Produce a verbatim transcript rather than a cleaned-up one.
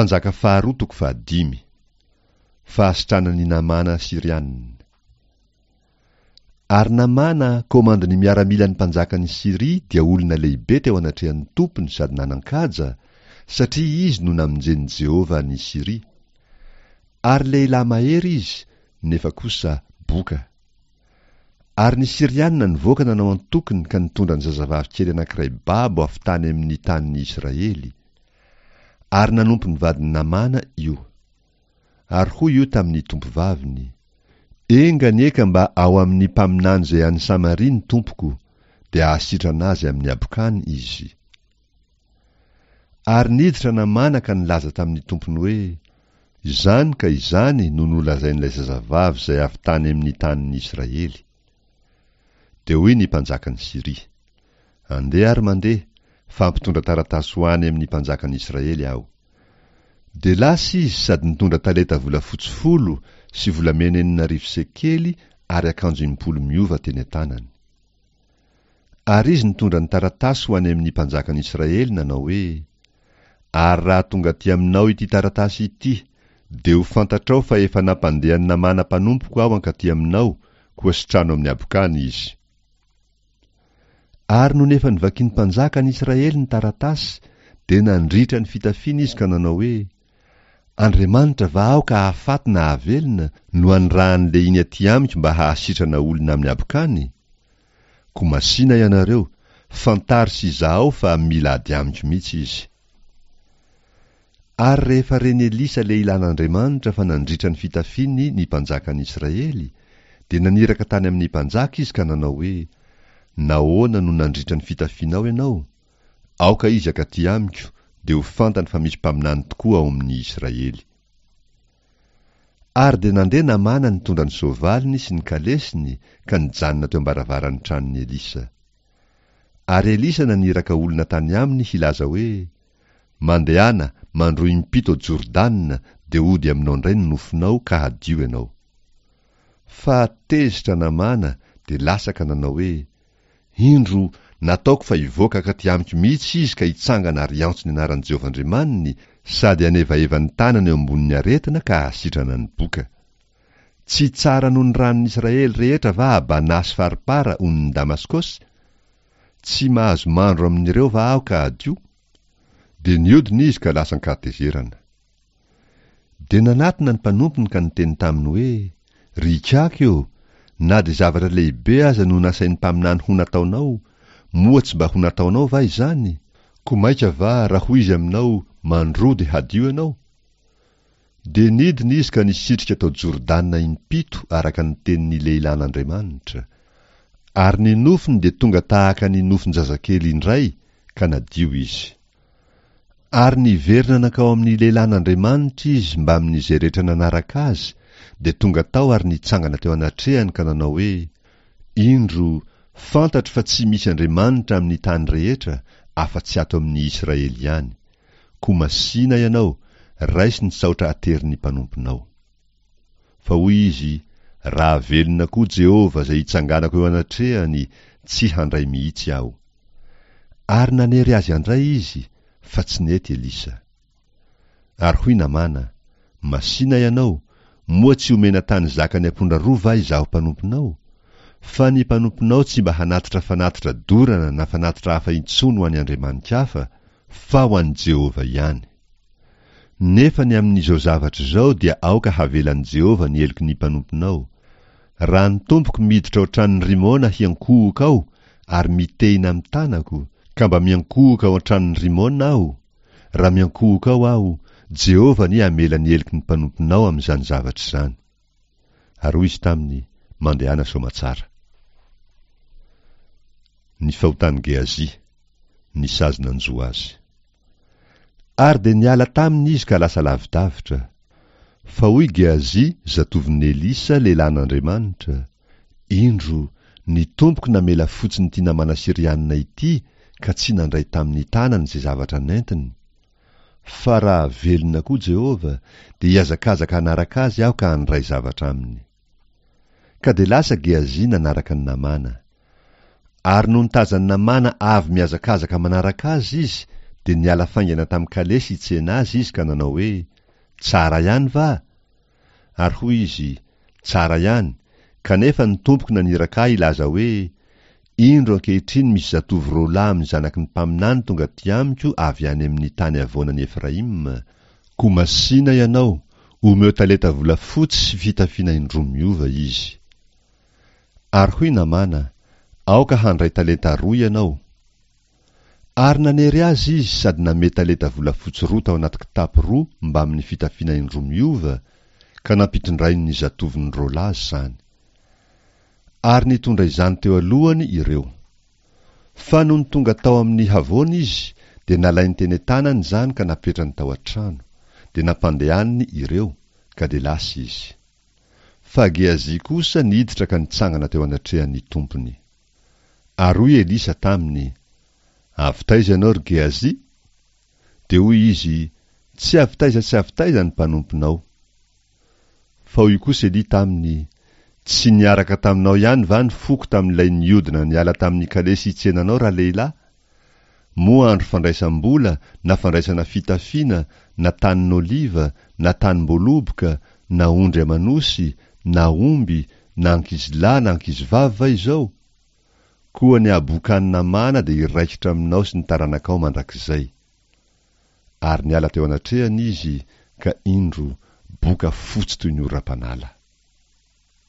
Mpanjaka faharoa toko fahadimy. Fahasitranan'i Namàna Syriana. Ary Namàna, komandin'ny miaramilan'ny mpanjakan'i Syria, dia olona lehibe teo anatrehan'ny tompony sady nanan-kaja, satria izy no namonjen'i Jehovah an'i Syria. Ary lehilahy mahery izy, nefa kosa boka. Ary ny Syriana nivoaka nanao antokony ka nitondra ny zazavavy kely anankiray babo avy tany amin'ny tanin'ny Israely. Ary nanompo ny vadin'i Namàna io. Ary hoy io tamin'ny tompovaviny: Enga anie ka mba ao amin'ny mpaminany izay any Samaria ny tompoko, dia hahasitrana azy amin'ny habokany izy. Ary niditra Namàna ka nilaza tamin'ny tompony hoe: Izany ka izany no nolazain'ilay zazavavy izay avy tany amin'ny tanin'ny Israely. Dia hoy ny mpanjakan'i Syria: Andeha ary mandeha, fa hampitondra taratasy ho any amin'ny mpanjakan'i Israely aho. Dia lasa izy sady nitondra talenta volafotsy folo sy volamena enina arivo sekely ary akanjo impolo miova teny an-tanany. Ary izy nitondra ny taratasy ho any amin'ny mpanjakan'i Israely nanao hoe: Ary raha tonga aty aminao ity taratasy ity, dia ho fantatrao fa efa nampandehan'i Namàna mpanompoko aho hankaty aminao, koa sitrano amin'ny habokany izy. Ary nony efa novakin'ny mpanjakan'i Israely ny taratasy, dia nandritra ny fitafiany izy ka nanao hoe: Andriamanitra va aho ka hahafaty na hahavelona, no anirahan'ny lehiny aty amiko mba hahasitrana olona amin'ny habokany? Koa masìna ianareo, fantaro sy izahao fa mila ady amiko mihitsy izy. Ary rehefa ren'i Elisa lehilahin'Andriamanitra fa nandritra ny fitafiany ny mpanjakan'i Israely, dia naniraka tany amin'ny mpanjaka izy ka nanao hoe: Nahoana no nandritra ny fitafianao ianao? Aoka izy hankaty amiko, dia ho fantany fa misy mpaminany tokoa ao amin'ny Israely. Ary dia nandeha Namàna nitondra ny soavaliny sy ny kalesiny ka nijanona teo am-baravaran'ny tranon'i Elisa. Ary Elisa naniraka olona tany aminy hilaza hoe: Mandehana, mandroa impito ao Jordana, dia hody aminao indray ny nofonao ka hadio ianao. Fa tezitra Namàna, dia lasa ka nanao hoe: Indro, nataoko fa hivoaka hankaty amiko mihitsy izy ka hitsangana ary hiantso ny anaran'i Jehovah Andriamaniny sady hanevaheva ny tanany eo ambonin'ny aretina ka hahasitrana ny boka. Tsy tsara noho ny ranon'i Israely rehetra va Abanà sy Farpara onin'i Damaskosy? Tsy mahazo mandro amin'ireo va aho ka hadio? Dia niodina izy ka lasa an-kahatezerana. Dia nanatona ny mpanompony ka niteny taminy hoe: Ry ikaky ô, na dia zavatra lehibe aza no nasain'ny mpaminany ho nataonao, moa tsy mba ho nataonao va izany? Koa mainka va raha hoy izy aminao, Mandroa dia hadio ianao? Dia nidina izy ka nisitrika tao Jordana impito araka ny tenin'ny lehilahin'Andriamanitra. Ary ny nofony dia tonga tahaka ny nofon-jazakely indray, ka nadio izy. Ary niverina nankao amin'ny lehilahin'Andriamanitra izy mbamin'izay rehetra nanaraka azy, dia tonga tao ary nitsangana teo anatrehany ka nanao hoe: Indro, fantatro fa tsy misy Andriamanitra amin'ny tany rehetra afa-tsy ato amin'ny Israely ihany. Koa masìna ianao, raiso ny saotra aterin'ny mpanomponao. Fa hoy izy: Raha velona koa Jehovah izay itsanganako eo anatrehany, tsy handray mihitsy aho. Ary nanery azy handray izy, fa tsy nety Elisa. Ary hoy Namàna: Masìna ianao, moa tsy omena tany zakan'ny ampondra roa va izaho mpanomponao? Fa ny mpanomponao tsy mba hanatitra fanatitra dorana na fanatitra hafa intsony ho an'ny andriamani-kafa, fa ho an'i Jehovah ihany. Nefa ny amin'izao zavatra izao dia aoka havelan'i Jehovah ny heloky ny mpanomponao. Raha ny tompoko miditra ao an-tranon'i Rimona hiankohoka ao ary mitehina amin'ny tanako, ka mba miankohoka ao an-tranon'i Rimona aho, raha miankohoka ao aho, Jehovah anie hamela ny heloky ny mpanomponao amin'izany zavatra izany. Ary hoy izy taminy: Mandehana soamatsara. Ny fahotan'i Gehazi, ny sazy nanjo azy. Ary dia niala taminy izy ka lasa lavidavitra. Fa hoy Gehazi, zatovon'i Elisa, lehilahin'Andriamanitra: Indro, ny tompoko namela fotsiny ity namana Syrianina ity ka tsy nandray tamin'ny tanany izay zavatra nentiny. Fa raha velona koa Jehovah, dia hihazakazaka hanaraka azy aho ka handray zavatra aminy. Ka dia lasa Gehazi nanaraka an'i Namàna. Ary nony tazan'i Namàna avy mihazakazaka manaraka azy izy, Dia niala faingana tamin'ny kalesy hitsena azy izy ka nanao hoe, Tsara ihany va? Ary hoy izy, Tsara ihany, kanefa ny tompoko naniraka ahy hilaza hoe, Indro ankehitriny misy zatovo roa lahy amin'ny zanaky ny mpaminany tonga aty amiko avy any amin'ny tany havoanan'i Efraima, koa masìna ianao, omeo talenta volafotsy sy fitafiana indroa miova izy. Ary hoy Namàna, Aoka handray talenta roa ianao. Ary nanery azy izy sady namehy talenta volafotsy roa tao anaty kitapo roa mbamin'ny fitafiana indroa miova, ka nampitondrainy ny zatovony roa lahy izany. Ary nitondra izany teo alohany ireo. Fa nony tonga tao amin'ny havoana izy, dia nalainy teny an-tanany izany ka napetrany tao an-trano, dia nampandehaniny ireo, ka dia lasa izy. Fa Gehazi kosa niditra ka nitsangana teo anatrehan'ny tompony. Ary hoy Elisa taminy, Avy taiza ianao, ry Gehazi? Dia hoy izy, Tsy avy taiza tsy avy taiza ny mpanomponao. Fa hoy kosa Elia taminy, Tsy niaraka taminao ihany va ny foko tamin'ilay niodina niala tamin'ny kalesy hitsena anao ralehilahy? Moa andro fandraisam-bola na fandraisana fitafiana na tanin'oliva na tanim-boaloboka na ondry aman'osy na omby na ankizilahy na ankizivavy va izao? Koa ny habokan'i Namàna dia hiraikitra aminao sy ny taranakao mandrakizay. Ary niala teo anatrehany izy, ka indro, boka fotsy toy ny oram-panala.